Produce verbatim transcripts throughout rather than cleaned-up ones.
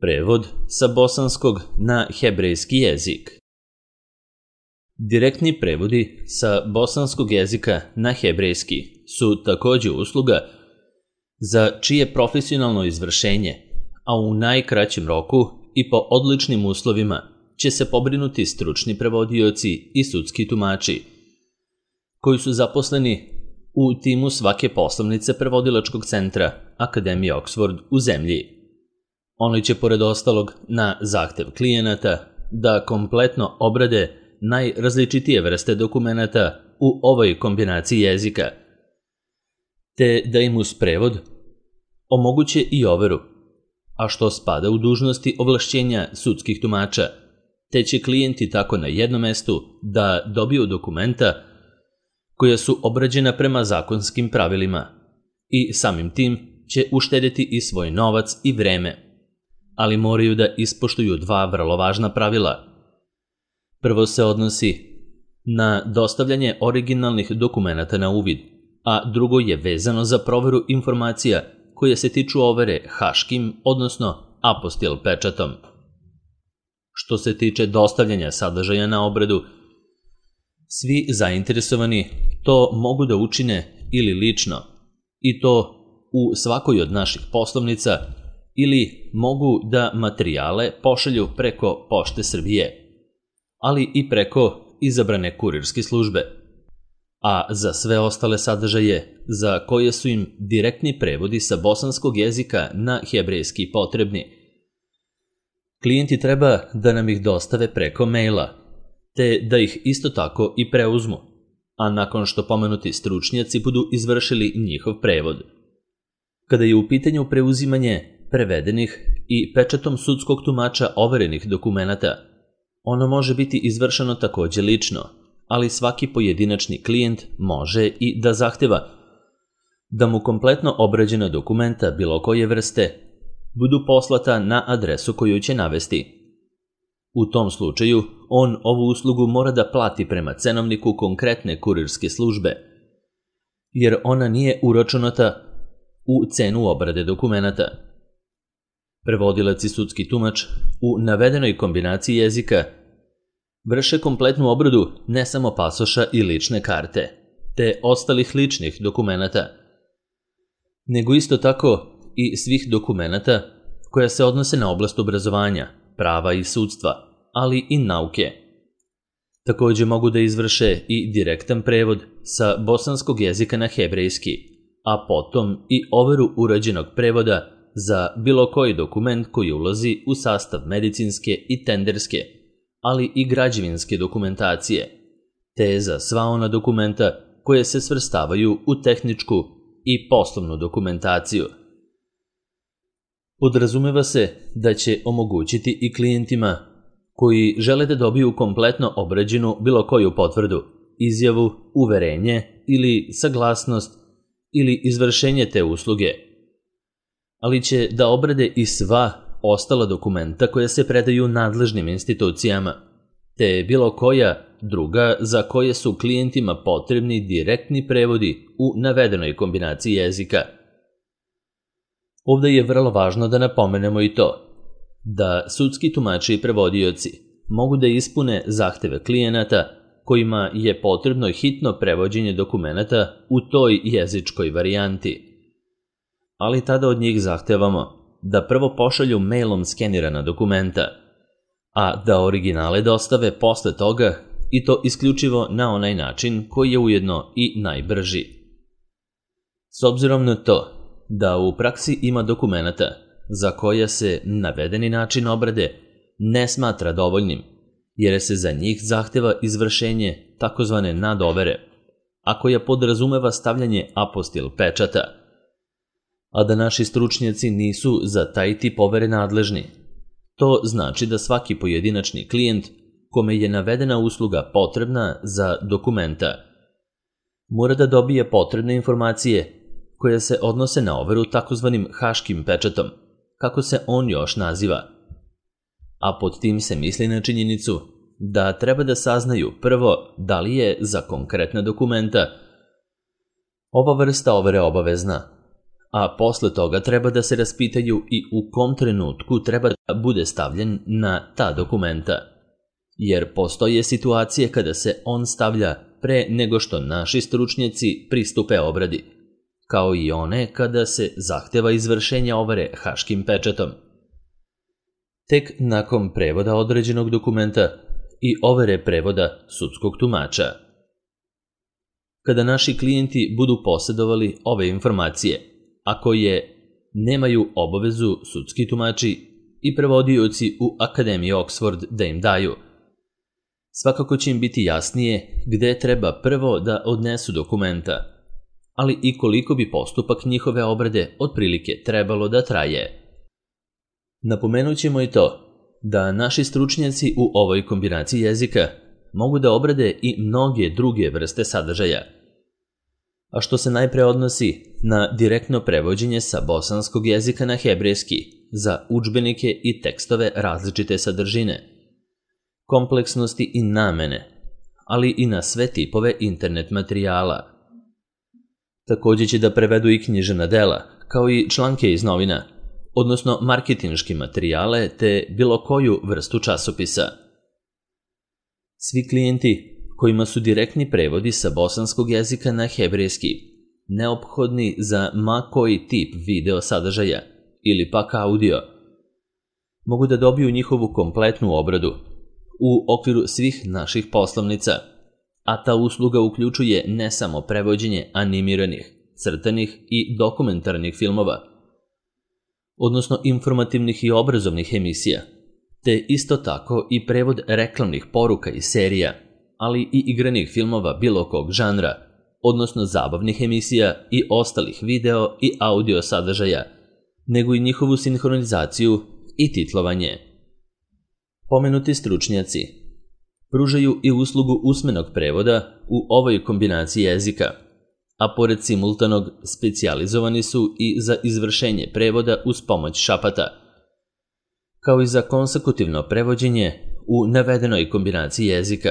Prevod sa bosanskog na hebrejski jezik. Direktni prevodi sa bosanskog jezika na hebrejski su takođe usluga za čije profesionalno izvršenje, a u najkraćem roku i po odličnim uslovima će se pobrinuti stručni prevodioci i sudski tumači, koji su zaposleni u timu svake poslovnice prevodilačkog centra Akademije Oxford u zemlji. Oni će, pored ostalog, na zahtev klijenata da kompletno obrade najrazličitije vrste dokumenata u ovoj kombinaciji jezika, te da im uz prevod omoguće i overu, a što spada u dužnosti ovlašćenja sudskih tumača, te će klijenti tako na jednom mestu da dobiju dokumenta koja su obrađena prema zakonskim pravilima i samim tim će uštedeti i svoj novac i vreme, ali moraju da ispoštuju dva vrlo važna pravila. Prvo se odnosi na dostavljanje originalnih dokumenata na uvid, a drugo je vezano za proveru informacija koje se tiču overe haškim, odnosno apostil pečatom. Što se tiče dostavljanja sadržaja na obradu, svi zainteresovani to mogu da učine ili lično, i to u svakoj od naših poslovnica, ili mogu da materijale pošalju preko Pošte Srbije, ali i preko izabrane kurirske službe. A za sve ostale sadržaje za koje su im direktni prevodi sa bosanskog jezika na hebrejski potrebni, klijenti treba da nam ih dostave preko maila, te da ih isto tako i preuzmu, a nakon što pomenuti stručnjaci budu izvršili njihov prevod. Kada je u pitanju preuzimanje prevedenih i pečatom sudskog tumača overenih dokumenata, ono može biti izvršeno takođe lično, ali svaki pojedinačni klijent može i da zahteva da mu kompletno obrađena dokumenta bilo koje vrste budu poslata na adresu koju će navesti. U tom slučaju, on ovu uslugu mora da plati prema cenovniku konkretne kurirske službe, jer ona nije uračunata u cenu obrade dokumenata. Prevodilac i sudski tumač u navedenoj kombinaciji jezika vrše kompletnu obradu ne samo pasoša i lične karte, te ostalih ličnih dokumenata, nego isto tako i svih dokumenata koja se odnose na oblast obrazovanja, prava i sudstva, ali i nauke. Takođe mogu da izvrše i direktan prevod sa bosanskog jezika na hebrejski, a potom i overu urađenog prevoda za bilo koji dokument koji ulazi u sastav medicinske i tenderske, ali i građevinske dokumentacije, te za sva ona dokumenta koje se svrstavaju u tehničku i poslovnu dokumentaciju. Podrazumeva se da će omogućiti i klijentima koji žele da dobiju kompletno obrađenu bilo koju potvrdu, izjavu, uverenje ili saglasnost ili izvršenje te usluge, ali će da obrade i sva ostala dokumenta koja se predaju nadležnim institucijama, te bilo koja druga za koje su klijentima potrebni direktni prevodi u navedenoj kombinaciji jezika. Ovde je vrlo važno da napomenemo i to da sudski tumači i prevodioci mogu da ispune zahteve klijenata kojima je potrebno hitno prevođenje dokumenata u toj jezičkoj varijanti, ali tada od njih zahtevamo da prvo pošalju mailom skenirana dokumenta, a da originale dostave posle toga i to isključivo na onaj način koji je ujedno i najbrži. S obzirom na to da u praksi ima dokumenata za koja se navedeni način obrade ne smatra dovoljnim, jer se za njih zahteva izvršenje takozvane nadovere, a koja podrazumeva stavljanje apostil pečata, a da naši stručnjaci nisu za taj tip overe nadležni. To znači da svaki pojedinačni klijent kome je navedena usluga potrebna za dokumenta mora da dobije potrebne informacije koje se odnose na overu takozvanim haškim pečatom, kako se on još naziva. A pod tim se misli na činjenicu da treba da saznaju prvo da li je za konkretna dokumenta ova vrsta overe obavezna, a posle toga treba da se raspitaju i u kom trenutku treba da bude stavljen na ta dokumenta, jer postoje situacije kada se on stavlja pre nego što naši stručnjaci pristupe obradi, kao i one kada se zahteva izvršenje overe haškim pečatom. Tek nakon prevoda određenog dokumenta i overe prevoda sudskog tumača. Kada naši klijenti budu posjedovali ove informacije, a koje nemaju obavezu sudski tumači i prevodioci u Akademiji Oxford da im daju, svakako će im biti jasnije gde treba prvo da odnesu dokumenta, ali i koliko bi postupak njihove obrade otprilike trebalo da traje. Napomenut ćemo i to da naši stručnjaci u ovoj kombinaciji jezika mogu da obrade i mnoge druge vrste sadržaja, a što se najpre odnosi na direktno prevođenje sa bosanskog jezika na hebrejski za udžbenike i tekstove različite sadržine, kompleksnosti i namene, ali i na sve tipove internet materijala. Također će da prevedu i književna dela, kao i članke iz novina, odnosno marketinški materijale te bilo koju vrstu časopisa. Svi klijenti kojima su direktni prevodi sa bosanskog jezika na hebrejski neophodni za ma koji tip video sadržaja ili pak audio, mogu da dobiju njihovu kompletnu obradu u okviru svih naših poslovnica, a ta usluga uključuje ne samo prevođenje animiranih, crtanih i dokumentarnih filmova, odnosno informativnih i obrazovnih emisija, te isto tako i prevod reklamnih poruka i serija, ali i igranih filmova bilo kog žanra, odnosno zabavnih emisija i ostalih video i audio sadržaja, nego i njihovu sinhronizaciju i titlovanje. Pomenuti stručnjaci pružaju i uslugu usmenog prevoda u ovoj kombinaciji jezika, a pored simultanog specijalizovani su i za izvršenje prevoda uz pomoć šapata, kao i za konsekutivno prevođenje u navedenoj kombinaciji jezika.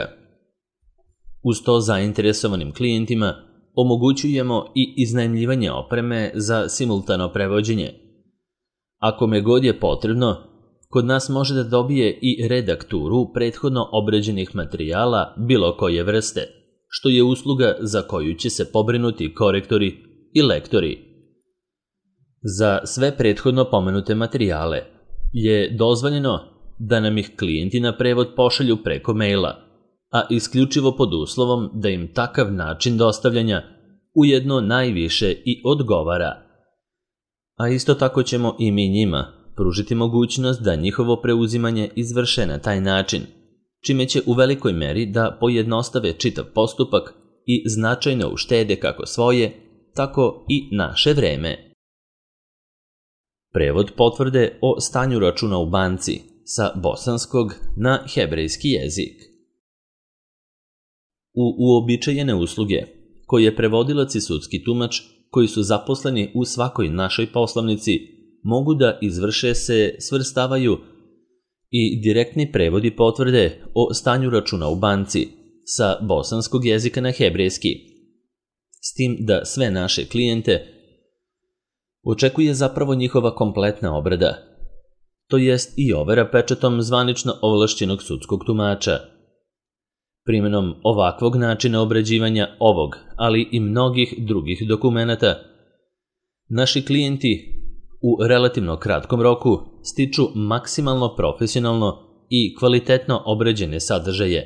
Uz to zainteresovanim klijentima omogućujemo i iznajmljivanje opreme za simultano prevođenje. Ako me god je potrebno, kod nas može da dobije i redakturu prethodno obrađenih materijala bilo koje vrste, što je usluga za koju će se pobrinuti korektori i lektori. Za sve prethodno pomenute materijale je dozvoljeno da nam ih klijenti na prevod pošalju preko maila, a isključivo pod uslovom da im takav način dostavljanja ujedno najviše i odgovara. A isto tako ćemo i mi njima pružiti mogućnost da njihovo preuzimanje izvrše na taj način, čime će u velikoj meri da pojednostave čitav postupak i značajno uštede kako svoje, tako i naše vreme. Prevod potvrde o stanju računa u banci sa bosanskog na hebrejski jezik. U uobičajene usluge, koje prevodilac i sudski tumač koji su zaposleni u svakoj našoj poslovnici mogu da izvrše se svrstavaju i direktni prevodi potvrde o stanju računa u banci sa bosanskog jezika na hebrejski, s tim da sve naše klijente očekuje zapravo njihova kompletna obrada, to jest i overa pečatom zvanično ovlašćenog sudskog tumača. Primjenom ovakvog načina obrađivanja ovog, ali i mnogih drugih dokumenata, naši klijenti u relativno kratkom roku stiču maksimalno profesionalno i kvalitetno obrađene sadržaje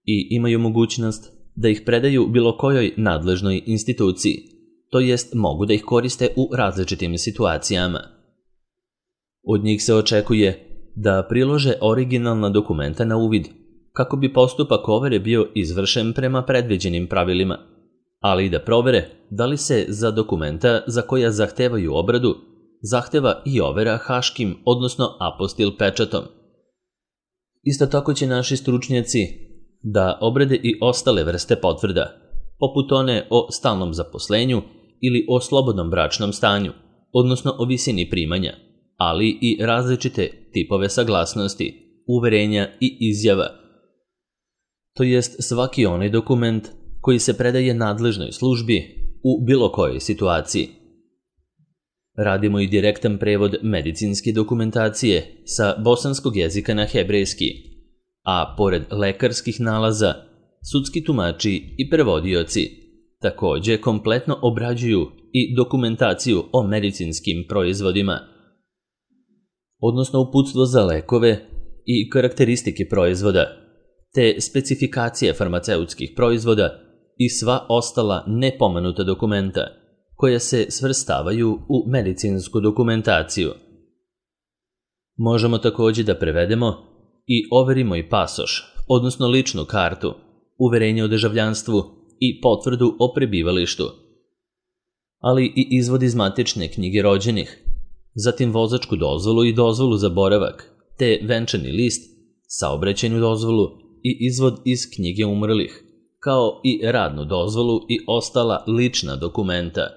i imaju mogućnost da ih predaju bilo kojoj nadležnoj instituciji, to jest mogu da ih koriste u različitim situacijama. Od njih se očekuje da prilože originalna dokumenta na uvid, kako bi postupak overe bio izvršen prema predviđenim pravilima, ali i da provere da li se za dokumenta za koja zahtevaju obradu zahteva i overa haškim, odnosno apostil pečatom. Isto tako će naši stručnjaci da obrade i ostale vrste potvrda, poput one o stalnom zaposlenju ili o slobodnom bračnom stanju, odnosno o visini primanja, ali i različite tipove saglasnosti, uverenja i izjava, to jest svaki onaj dokument koji se predaje nadležnoj službi u bilo kojoj situaciji. Radimo i direktan prevod medicinske dokumentacije sa bosanskog jezika na hebrejski, a pored lekarskih nalaza, sudski tumači i prevodioci takođe kompletno obrađuju i dokumentaciju o medicinskim proizvodima, odnosno uputstvo za lekove i karakteristike proizvoda, te specifikacije farmaceutskih proizvoda i sva ostala nepomenuta dokumenta koja se svrstavaju u medicinsku dokumentaciju. Možemo takođe da prevedemo i overimo i pasoš, odnosno ličnu kartu, uverenje o državljanstvu i potvrdu o prebivalištu, ali i izvod iz matične knjige rođenih, zatim vozačku dozvolu i dozvolu za boravak, te venčani list, saobraćajnu dozvolu i izvod iz knjige umrlih, kao i radnu dozvolu i ostala lična dokumenta.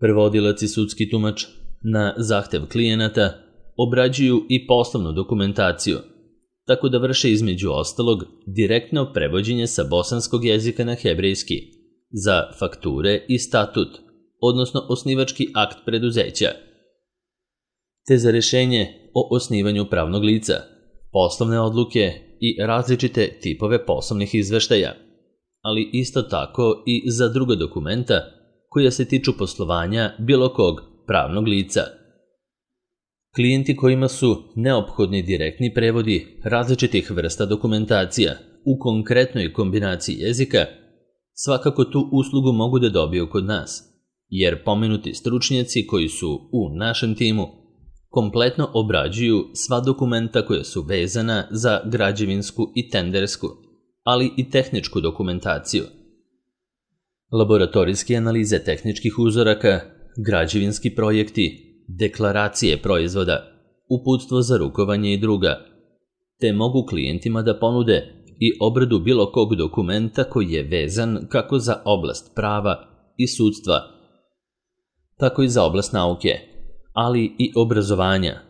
Prevodilac i sudski tumač na zahtev klijenata obrađuju i poslovnu dokumentaciju, tako da vrše između ostalog direktno prevođenje sa bosanskog jezika na hebrejski za fakture i statut, odnosno osnivački akt preduzeća, te za rešenje o osnivanju pravnog lica, poslovne odluke i različite tipove poslovnih izveštaja, ali isto tako i za druga dokumenta koja se tiču poslovanja bilo kog pravnog lica. Klijenti kojima su neophodni direktni prevodi različitih vrsta dokumentacija u konkretnoj kombinaciji jezika, svakako tu uslugu mogu da dobiju kod nas, jer pomenuti stručnjaci koji su u našem timu kompletno obrađuju sva dokumenta koja su vezana za građevinsku i tendersku, ali i tehničku dokumentaciju. Laboratorijske analize tehničkih uzoraka, građevinski projekti, deklaracije proizvoda, uputstvo za rukovanje i druga, te mogu klijentima da ponude i obradu bilo kog dokumenta koji je vezan kako za oblast prava i sudstva, tako i za oblast nauke, ali i obrazovanja,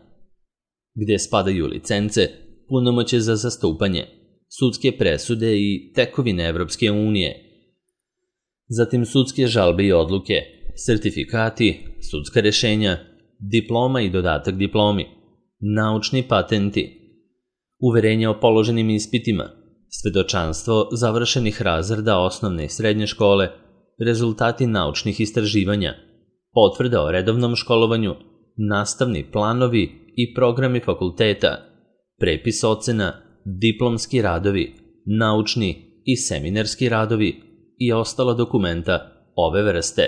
gde spadaju licence, punomoćje za zastupanje, sudske presude i tekovine Evropske unije, zatim sudske žalbe i odluke, sertifikati, sudska rešenja, diploma i dodatak diplomi, naučni patenti, uverenja o položenim ispitima, svedočanstvo završenih razreda osnovne i srednje škole, rezultati naučnih istraživanja, potvrda o redovnom školovanju, nastavni planovi i programi fakulteta, prepis ocena, diplomski radovi, naučni i seminarski radovi i ostala dokumenta ove vrste.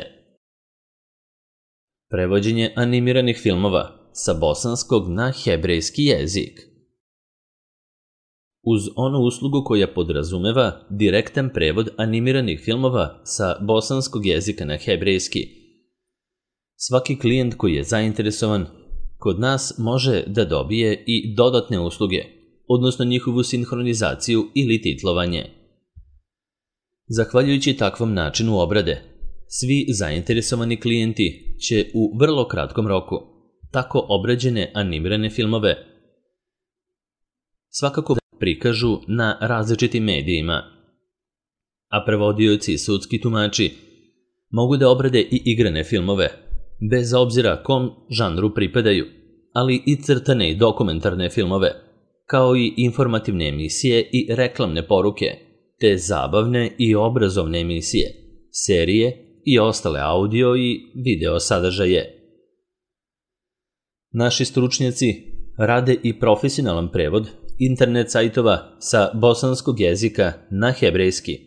Prevođenje animiranih filmova sa bosanskog na hebrejski jezik. Uz onu uslugu koja podrazumeva direktan prevod animiranih filmova sa bosanskog jezika na hebrejski, svaki klijent koji je zainteresovan kod nas može da dobije i dodatne usluge, odnosno njihovu sinhronizaciju ili titlovanje. Zahvaljujući takvom načinu obrade, svi zainteresovani klijenti će u vrlo kratkom roku tako obrađene animirane filmove svakako prikažu na različitim medijima, a prevodioci i sudski tumači mogu da obrade i igrane filmove, bez obzira kom žanru pripadaju, ali i crtane i dokumentarne filmove, kao i informativne emisije i reklamne poruke, te zabavne i obrazovne emisije, serije i ostale audio i video sadržaje. Naši stručnjaci rade i profesionalan prevod internet sajtova sa bosanskog jezika na hebrejski,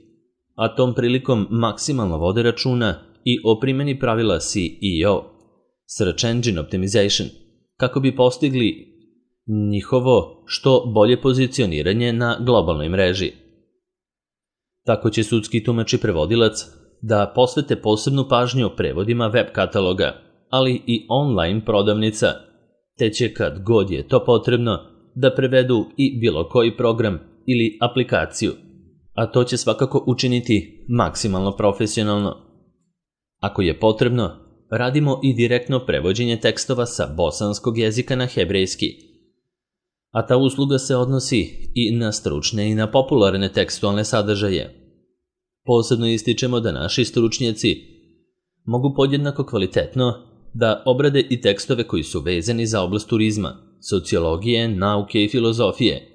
a tom prilikom maksimalno vode računa i o primjeni pravila S E O, Search Engine Optimization, kako bi postigli njihovo što bolje pozicioniranje na globalnoj mreži. Tako će sudski tumač i prevodilac da posvete posebnu pažnju prevodima web kataloga, ali i online prodavnica, te će kad god je to potrebno da prevedu i bilo koji program ili aplikaciju, a to će svakako učiniti maksimalno profesionalno. Ako je potrebno, radimo i direktno prevođenje tekstova sa bosanskog jezika na hebrejski, a ta usluga se odnosi i na stručne i na popularne tekstualne sadržaje. Posebno ističemo da naši stručnjaci mogu podjednako kvalitetno da obrade i tekstove koji su vezani za oblast turizma, sociologije, nauke i filozofije,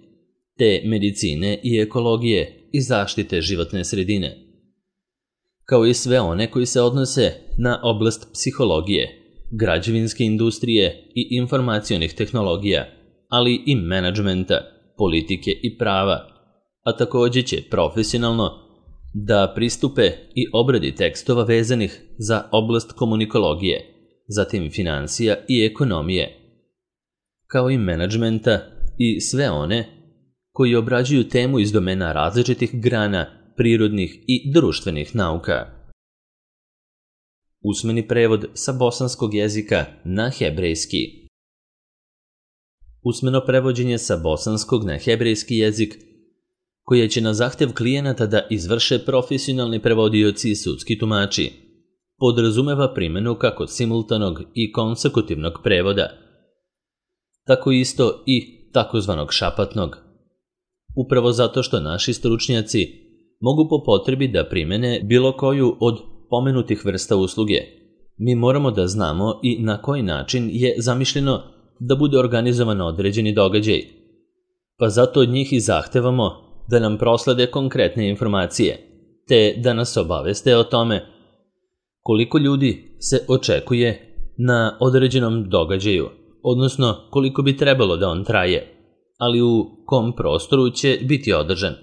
te medicine i ekologije i zaštite životne sredine, kao i sve one koji se odnose na oblast psihologije, građevinske industrije i informacionih tehnologija, ali i menadžmenta, politike i prava, a takođe će profesionalno da pristupe i obradi tekstova vezanih za oblast komunikologije, zatim financija i ekonomije, kao i menadžmenta i sve one koji obrađuju temu iz domena različitih grana prirodnih i društvenih nauka. Usmeni prevod sa bosanskog jezika na hebrejski. Usmeno prevođenje sa bosanskog na hebrejski jezik, koje će na zahtev klijenata da izvrše profesionalni prevodioci i sudski tumači, podrazumeva primjenu kako simultanog i konsekutivnog prevoda, tako isto i takozvanog šapatnog. Upravo zato što naši stručnjaci mogu po potrebi da primene bilo koju od pomenutih vrsta usluge, mi moramo da znamo i na koji način je zamišljeno da bude organizovan određeni događaj, pa zato od njih i zahtevamo da nam proslede konkretne informacije, te da nas obaveste o tome koliko ljudi se očekuje na određenom događaju, odnosno koliko bi trebalo da on traje, ali u kom prostoru će biti održan.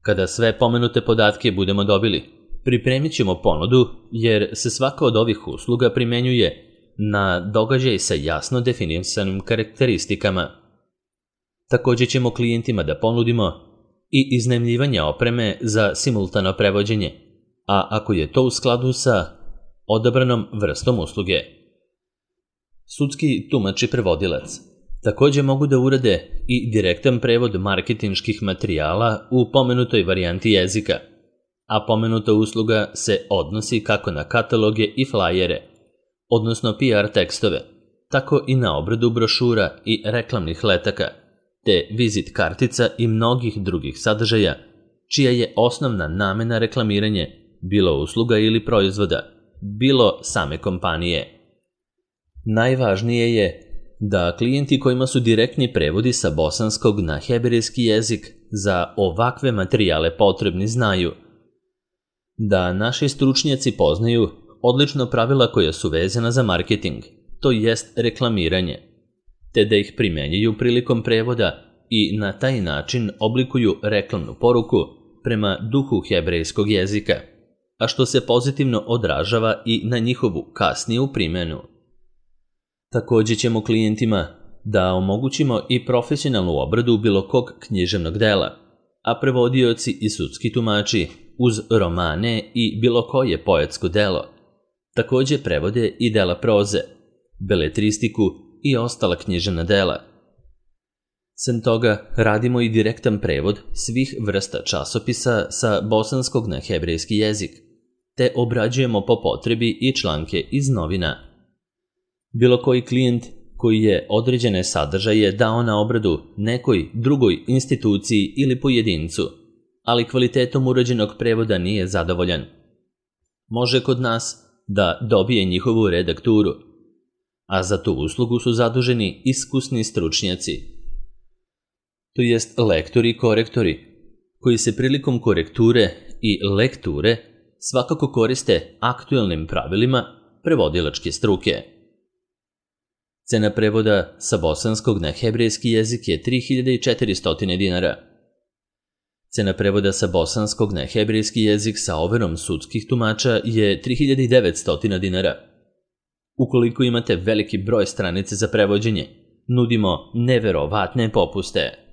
Kada sve pomenute podatke budemo dobili, pripremit ćemo ponudu, jer se svaka od ovih usluga primenjuje na događaj sa jasno definisanim karakteristikama. Takođe ćemo klijentima da ponudimo i iznajmljivanje opreme za simultano prevođenje, a ako je to u skladu sa odabranom vrstom usluge. Sudski tumač i prevodilac takođe mogu da urade i direktan prevod marketinških materijala u pomenutoj varijanti jezika, a pomenuta usluga se odnosi kako na kataloge i flajere, odnosno P R tekstove, tako i na obradu brošura i reklamnih letaka, te vizit kartica i mnogih drugih sadržaja, čija je osnovna namena reklamiranje bilo usluga ili proizvoda, bilo same kompanije. Najvažnije je da klijenti kojima su direktni prevodi sa bosanskog na hebrejski jezik za ovakve materijale potrebni znaju da naši stručnjaci poznaju odlično pravila koja su vezana za marketing, to jest reklamiranje, te da ih primenjuju prilikom prevoda i na taj način oblikuju reklamnu poruku prema duhu hebrejskog jezika, a što se pozitivno odražava i na njihovu kasniju primjenu. Takođe ćemo klijentima da omogućimo i profesionalnu obradu bilo kog književnog dela, a prevodioci i sudski tumači uz romane i bilo koje poetsko delo takođe prevode i dela proze, beletristiku i ostala književna dela. Sem toga, radimo i direktan prevod svih vrsta časopisa sa bosanskog na hebrejski jezik, te obrađujemo po potrebi i članke iz novina. Bilo koji klijent koji je određene sadržaje dao na obradu nekoj drugoj instituciji ili pojedincu, ali kvalitetom urađenog prevoda nije zadovoljan, može kod nas da dobije njihovu redakturu, a za tu uslugu su zaduženi iskusni stručnjaci, to jest lektori i korektori, koji se prilikom korekture i lekture svakako koriste aktuelnim pravilima prevodilačke struke. Cena prevoda sa bosanskog na hebrejski jezik je tri hiljade četiristo dinara. Cena prevoda sa bosanskog na hebrejski jezik sa overom sudskih tumača je tri hiljade devetsto dinara. Ukoliko imate veliki broj stranice za prevođenje, nudimo neverovatne popuste.